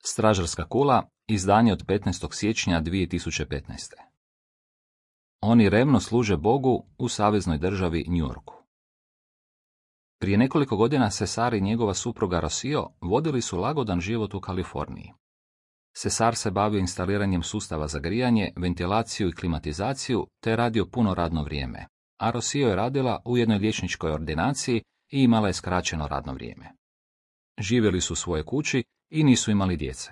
Stražarska kula, izdanje od 15. siječnja 2015. Oni revno služe Bogu u saveznoj državi New Yorku. Prije nekoliko godina Cesar i njegova supruga Rocio vodili su lagodan život u Kaliforniji. Cesar se bavio instaliranjem sustava za grijanje, ventilaciju i klimatizaciju, te je radio puno radno vrijeme, a Rocio je radila u jednoj liječničkoj ordinaciji i imala je skraćeno radno vrijeme. Živjeli su u svojoj kući i nisu imali djece.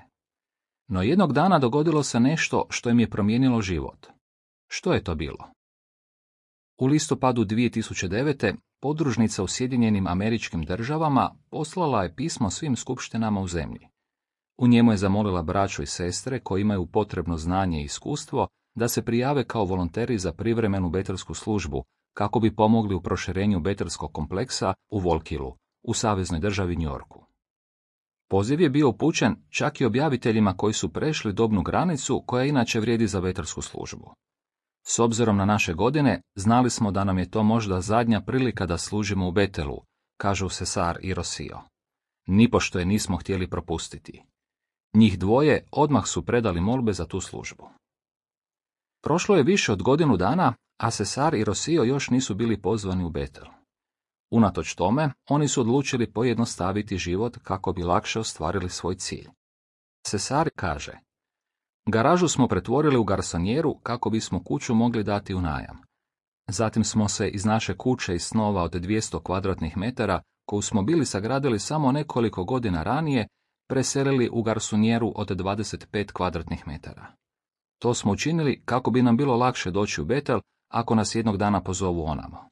No jednog dana dogodilo se nešto što im je promijenilo život. Što je to bilo? U listopadu 2009. podružnica u Sjedinjenim Američkim Državama poslala je pismo svim skupštinama u zemlji. U njemu je zamolila braću i sestre koji imaju potrebno znanje i iskustvo da se prijave kao volonteri za privremenu betelsku službu kako bi pomogli u proširenju betelskog kompleksa u Volkilu, u saveznoj državi New Yorku. Poziv je bio upućen čak i objaviteljima koji su prešli dobnu granicu koja inače vrijedi za betelsku službu. S obzirom na naše godine, znali smo da nam je to možda zadnja prilika da služimo u Betelu, kažu Cesar i Rocio. Nipošto je nismo htjeli propustiti. Njih dvoje odmah su predali molbe za tu službu. Prošlo je više od godinu dana, a Cesar i Rocio još nisu bili pozvani u Betel. Unatoč tome, oni su odlučili pojednostaviti život kako bi lakše ostvarili svoj cilj. Cesar kaže: garažu smo pretvorili u garsonjeru kako bismo kuću mogli dati u najam. Zatim smo se iz naše kuće iz snova od 200 kvadratnih metara, koju smo bili sagradili samo nekoliko godina ranije, preselili u garsonjeru od 25 kvadratnih metara. To smo učinili kako bi nam bilo lakše doći u Betel ako nas jednog dana pozovu onamo.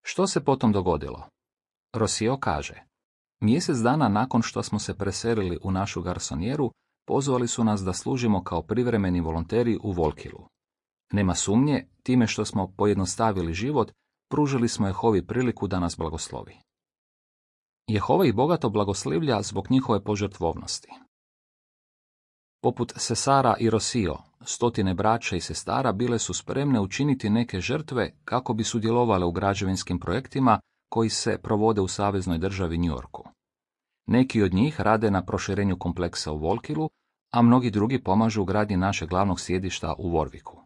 Što se potom dogodilo? Rocio kaže: mjesec dana nakon što smo se preselili u našu garsonjeru, pozvali su nas da služimo kao privremeni volonteri u Volkilu. Nema sumnje, time što smo pojednostavili život, pružili smo Jehovi priliku da nas blagoslovi. Jehova ih bogato blagoslivlja zbog njihove požrtvovnosti. Poput Cesara i Rocio, stotine braća i sestara bile su spremne učiniti neke žrtve kako bi sudjelovale u građevinskim projektima koji se provode u saveznoj državi New Yorku. Neki od njih rade na proširenju kompleksa u Volkilu, a mnogi drugi pomažu u gradnji našeg glavnog sjedišta u Warwicku.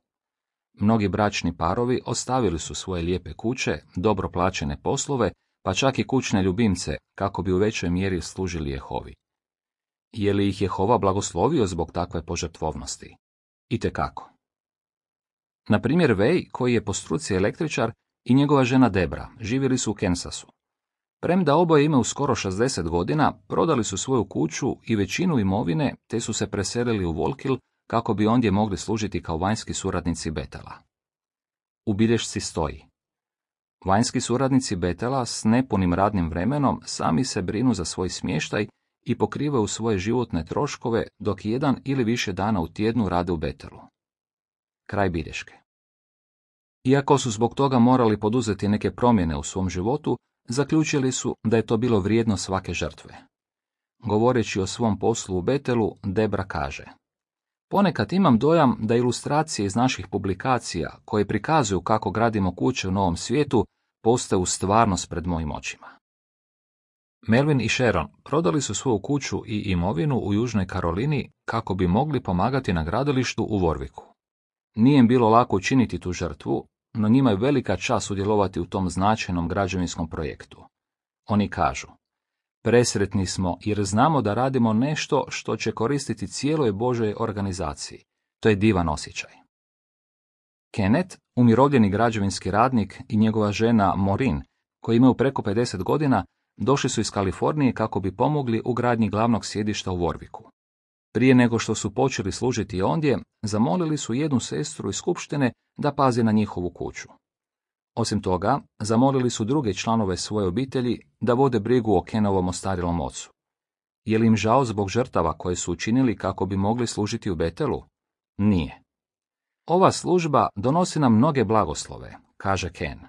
Mnogi bračni parovi ostavili su svoje lijepe kuće, dobro plaćene poslove, pa čak i kućne ljubimce, kako bi u većoj mjeri služili Jehovi. Je li ih Jehova blagoslovio zbog takve požrtvovnosti? Itekako. Na primjer, Vej, koji je po struci električar, i njegova žena Debra živjeli su u Kansasu. Premda oboje imaju skoro 60 godina, prodali su svoju kuću i većinu imovine, te su se preselili u Volkil kako bi ondje mogli služiti kao vanjski suradnici Betela. U bilješci stoji: vanjski suradnici Betela s nepunim radnim vremenom sami se brinu za svoj smještaj i pokrivaju svoje životne troškove dok jedan ili više dana u tjednu rade u Betelu. Kraj bilješke. Iako su zbog toga morali poduzeti neke promjene u svom životu, zaključili su da je to bilo vrijedno svake žrtve. Govoreći o svom poslu u Betelu, Debra kaže: ponekad imam dojam da ilustracije iz naših publikacija, koje prikazuju kako gradimo kuće u novom svijetu, postaju stvarnost pred mojim očima. Melvin i Sharon prodali su svoju kuću i imovinu u Južnoj Karolini kako bi mogli pomagati na gradilištu u Warwicku. Nije im bilo lako učiniti tu žrtvu, no njima je velika čast sudjelovati u tom značajnom građevinskom projektu. Oni kažu: presretni smo jer znamo da radimo nešto što će koristiti cijeloj Božoj organizaciji. To je divan osjećaj. Kenneth, umirovljeni građevinski radnik, i njegova žena Maureen, koji imaju preko 50 godina, došli su iz Kalifornije kako bi pomogli u gradnji glavnog sjedišta u Warwicku. Prije nego što su počeli služiti ondje, zamolili su jednu sestru iz skupštine da pazi na njihovu kuću. Osim toga, zamolili su druge članove svoje obitelji da vode brigu o Kenovom ostarjelom ocu. Je li im žao zbog žrtava koje su učinili kako bi mogli služiti u Betelu? Nije. Ova služba donosi nam mnoge blagoslove, kaže Ken.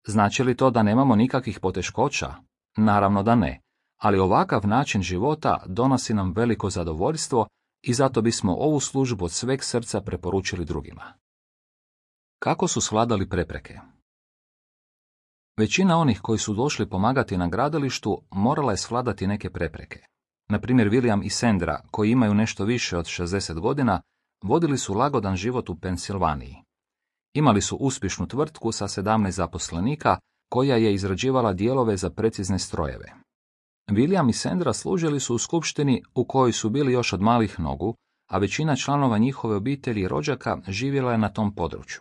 Znači li to da nemamo nikakvih poteškoća? Naravno da ne, ali ovakav način života donosi nam veliko zadovoljstvo i zato bismo ovu službu od sveg srca preporučili drugima. Kako su svladali prepreke? Većina onih koji su došli pomagati na gradilištu morala je svladati neke prepreke. Na primjer, William i Sandra, koji imaju nešto više od 60 godina, vodili su lagodan život u Pensilvaniji. Imali su uspješnu tvrtku sa 17 zaposlenika, koja je izrađivala dijelove za precizne strojeve. William i Sandra služili su u skupštini u kojoj su bili još od malih nogu, a većina članova njihove obitelji i rođaka živjela je na tom području.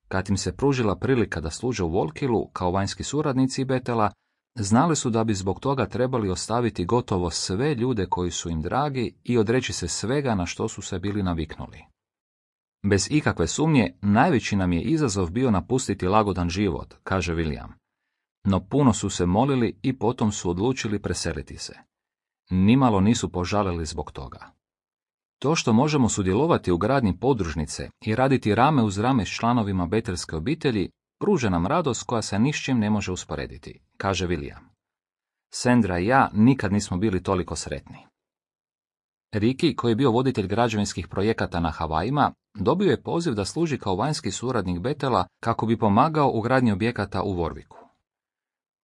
Kad im se pružila prilika da služe u Volkilu kao vanjski suradnici Betela, znali su da bi zbog toga trebali ostaviti gotovo sve ljude koji su im dragi i odreći se svega na što su se bili naviknuli. Bez ikakve sumnje, najveći nam je izazov bio napustiti lagodan život, kaže William. No puno su se molili i potom su odlučili preseliti se. Nimalo nisu požalili zbog toga. To što možemo sudjelovati u gradnji podružnice i raditi rame uz rame s članovima betelske obitelji, pruža nam radost koja se ni s čim ne može usporediti, kaže William. Sandra i ja nikad nismo bili toliko sretni. Ricky, koji je bio voditelj građevinskih projekata na Havajima, dobio je poziv da služi kao vanjski suradnik Betela kako bi pomagao u gradnji objekata u Warwicku.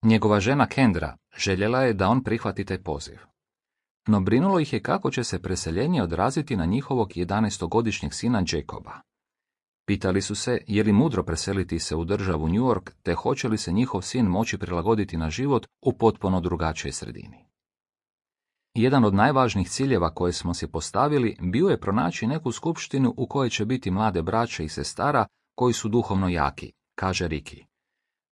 Njegova žena Kendra željela je da on prihvati taj poziv. No brinulo ih je kako će se preseljenje odraziti na njihovog 11-godišnjeg sina Jacoba. Pitali su se je li mudro preseliti se u državu New York, te hoće li se njihov sin moći prilagoditi na život u potpuno drugačijoj sredini. Jedan od najvažnijih ciljeva koje smo si postavili bio je pronaći neku skupštinu u kojoj će biti mlade braće i sestara koji su duhovno jaki, kaže Ricky.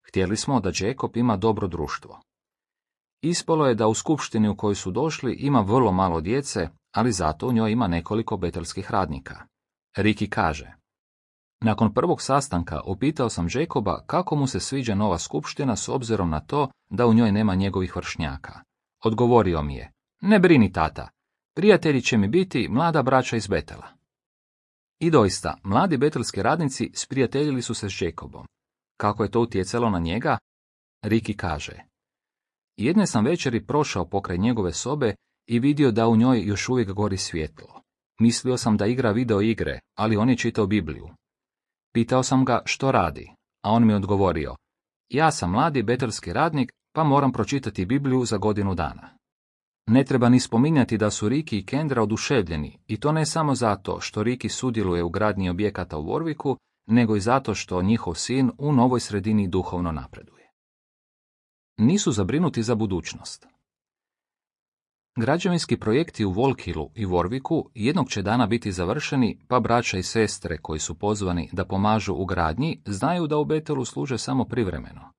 Htjeli smo da Jacob ima dobro društvo. Ispalo je da u skupštini u kojoj su došli ima vrlo malo djece, ali zato u njoj ima nekoliko betelskih radnika. Ricky kaže: nakon prvog sastanka upitao sam Jacoba kako mu se sviđa nova skupština s obzirom na to da u njoj nema njegovih vršnjaka. Odgovorio mi je: ne brini, tata, prijatelji će mi biti mlada braća iz Betela. I doista, mladi betelski radnici sprijateljili su se s Jacobom. Kako je to utjecalo na njega? Ricky kaže: jedne sam večeri prošao pokraj njegove sobe i vidio da u njoj još uvijek gori svjetlo. Mislio sam da igra video igre, ali on je čitao Bibliju. Pitao sam ga što radi, a on mi odgovorio: ja sam mladi betelski radnik, pa moram pročitati Bibliju za godinu dana. Ne treba ni spominjati da su Ricky i Kendra oduševljeni, i to ne samo zato što Ricky sudjeluje u gradnji objekata u Warwicku, nego i zato što njihov sin u novoj sredini duhovno napreduje. Nisu zabrinuti za budućnost. Građevinski projekti u Volkilu i Warwicku jednog će dana biti završeni, pa braća i sestre koji su pozvani da pomažu u gradnji znaju da u Betelu služe samo privremeno.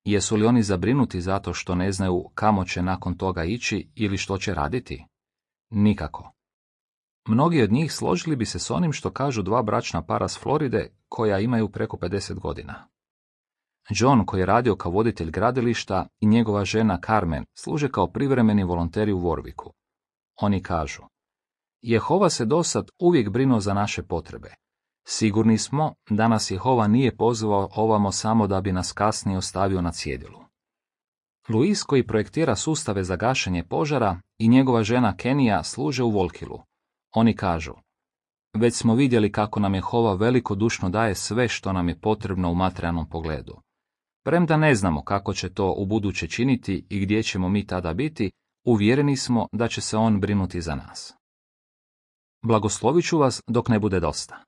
Jesu li oni zabrinuti zato što ne znaju kamo će nakon toga ići ili što će raditi? Nikako. Mnogi od njih složili bi se s onim što kažu dva bračna para s Floride koja imaju preko 50 godina. John, koji je radio kao voditelj gradilišta, i njegova žena Carmen služe kao privremeni volonteri u Warwicku. Oni kažu: Jehova se dosad uvijek brinuo za naše potrebe. Sigurni smo da nas Jehova nije pozvao ovamo samo da bi nas kasnije ostavio na cjedilu. Luis, koji projektira sustave za gašenje požara, i njegova žena Kenija služe u Volkilu. Oni kažu: već smo vidjeli kako nam Jehova velikodušno daje sve što nam je potrebno u materijalnom pogledu. Premda ne znamo kako će to ubuduće činiti i gdje ćemo mi tada biti, uvjereni smo da će se on brinuti za nas. Blagoslovit ću vas dok ne bude dosta.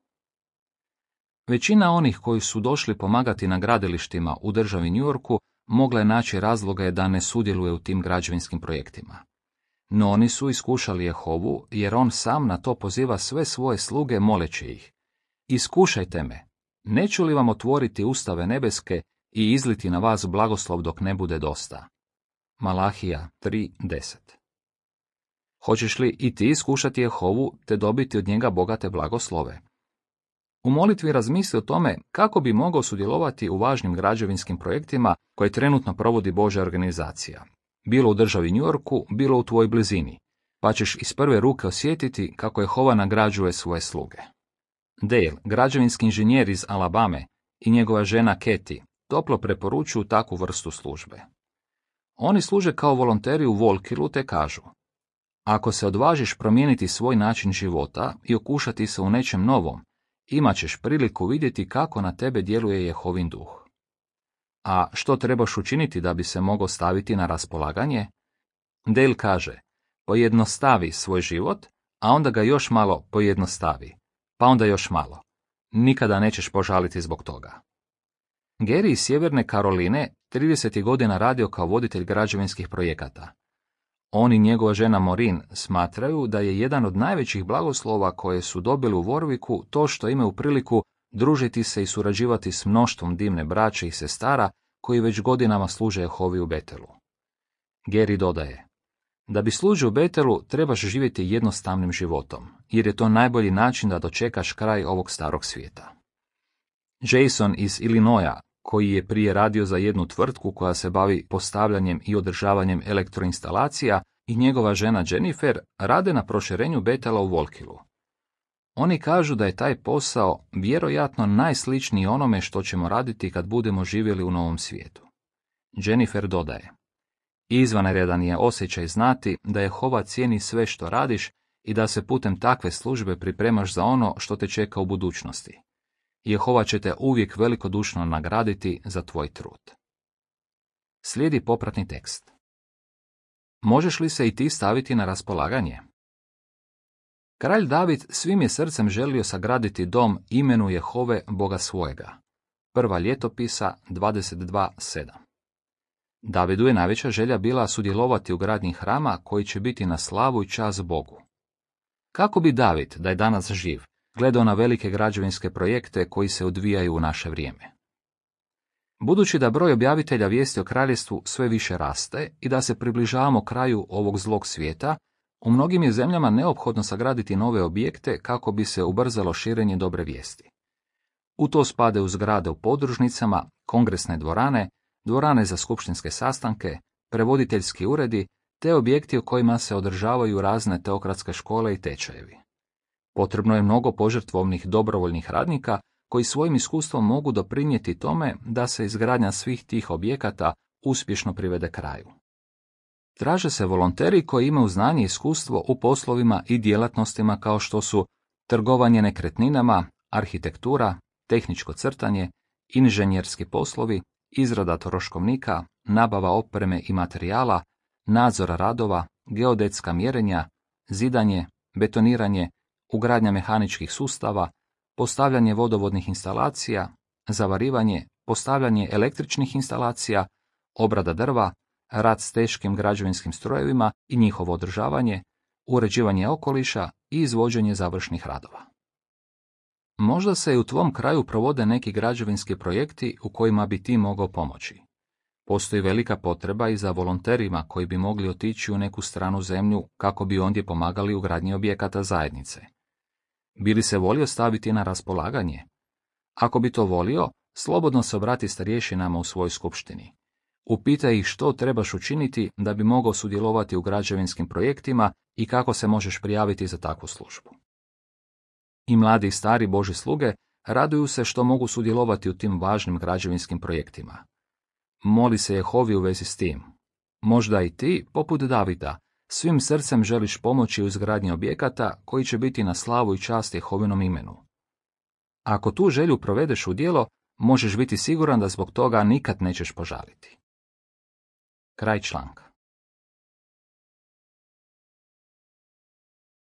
Većina onih koji su došli pomagati na gradilištima u državi New Yorku mogla je naći razloge da ne sudjeluje u tim građevinskim projektima. No oni su iskušali Jehovu, jer on sam na to poziva sve svoje sluge moleći ih: iskušajte me, neću li vam otvoriti ustave nebeske i izliti na vas blagoslov dok ne bude dosta. Malahija 3:10. Hoćeš li i ti iskušati Jehovu te dobiti od njega bogate blagoslove? U molitvi razmisli o tome kako bi mogao sudjelovati u važnim građevinskim projektima koje trenutno provodi Božja organizacija, bilo u državi New Yorku, bilo u tvojoj blizini, pa ćeš iz prve ruke osjetiti kako Jehova nagrađuje svoje sluge. Dale, građevinski inženjer iz Alabame, i njegova žena Katie toplo preporučuju takvu vrstu službe. Oni služe kao volonteri u Volkilu te kažu: ako se odvažiš promijeniti svoj način života i okušati se u nečem novom, imat ćeš priliku vidjeti kako na tebe djeluje Jehovin duh. A što trebaš učiniti da bi se mogao staviti na raspolaganje? Dale kaže: pojednostavi svoj život, a onda ga još malo pojednostavi, pa onda još malo. Nikada nećeš požaliti zbog toga. Gary iz Sjeverne Karoline 30 godina radio kao voditelj građevinskih projekata. On i njegova žena Maureen smatraju da je jedan od najvećih blagoslova koje su dobili u Warwicku to što imaju priliku družiti se i surađivati s mnoštvom divne braće i sestara koji već godinama služe Jehovi u Betelu. Gary dodaje: da bi služio u Betelu trebaš živjeti jednostavnim životom, jer je to najbolji način da dočekaš kraj ovog starog svijeta. Jason iz Illinoisa, koji je prije radio za jednu tvrtku koja se bavi postavljanjem i održavanjem elektroinstalacija, i njegova žena Jennifer rade na proširenju Betela u Volkilu. Oni kažu da je taj posao vjerojatno najsličniji onome što ćemo raditi kad budemo živjeli u novom svijetu. Jennifer dodaje: izvanredan je osjećaj znati da Jehova cijeni sve što radiš i da se putem takve službe pripremaš za ono što te čeka u budućnosti. Jehova će te uvijek velikodušno nagraditi za tvoj trud. Slijedi popratni tekst. Možeš li se i ti staviti na raspolaganje? Kralj David svim je srcem želio sagraditi dom imenu Jehove Boga svojega. Prva ljetopisa 22:7. Davidu je najveća želja bila sudjelovati u gradnji hrama koji će biti na slavu i čast Bogu. Kako bi David, da je danas živ, gledao na velike građevinske projekte koji se odvijaju u naše vrijeme? Budući da broj objavitelja vijesti o kraljestvu sve više raste i da se približavamo kraju ovog zlog svijeta, u mnogim je zemljama neophodno sagraditi nove objekte kako bi se ubrzalo širenje dobre vijesti. U to spadaju zgrade u podružnicama, kongresne dvorane, dvorane za skupštinske sastanke, prevoditeljski uredi, te objekti u kojima se održavaju razne teokratske škole i tečajevi. Potrebno je mnogo požrtvovnih dobrovoljnih radnika koji svojim iskustvom mogu doprinijeti tome da se izgradnja svih tih objekata uspješno privede kraju. Traže se volonteri koji imaju znanje i iskustvo u poslovima i djelatnostima kao što su trgovanje nekretninama, arhitektura, tehničko crtanje, inženjerski poslovi, izrada troškovnika, nabava opreme i materijala, nadzor radova, geodetska mjerenja, zidanje, betoniranje, ugradnja mehaničkih sustava, postavljanje vodovodnih instalacija, zavarivanje, postavljanje električnih instalacija, obrada drva, rad s teškim građevinskim strojevima i njihovo održavanje, uređivanje okoliša i izvođenje završnih radova. Možda se i u tvom kraju provode neki građevinski projekti u kojima bi ti mogao pomoći. Postoji velika potreba i za volonterima koji bi mogli otići u neku stranu zemlju kako bi ondje pomagali u gradnji objekata zajednice. Bi li se volio staviti na raspolaganje? Ako bi to volio, slobodno se obrati starješinama u svojoj skupštini. Upitaj ih što trebaš učiniti da bi mogao sudjelovati u građevinskim projektima i kako se možeš prijaviti za takvu službu. I mladi i stari Božji sluge raduju se što mogu sudjelovati u tim važnim građevinskim projektima. Moli se Jehovi u vezi s tim. Možda i ti, poput Davida, svim srcem želiš pomoći u izgradnji objekata koji će biti na slavu i čast Jehovinom imenu. Ako tu želju provedeš u djelo, možeš biti siguran da zbog toga nikad nećeš požaliti. Kraj članka.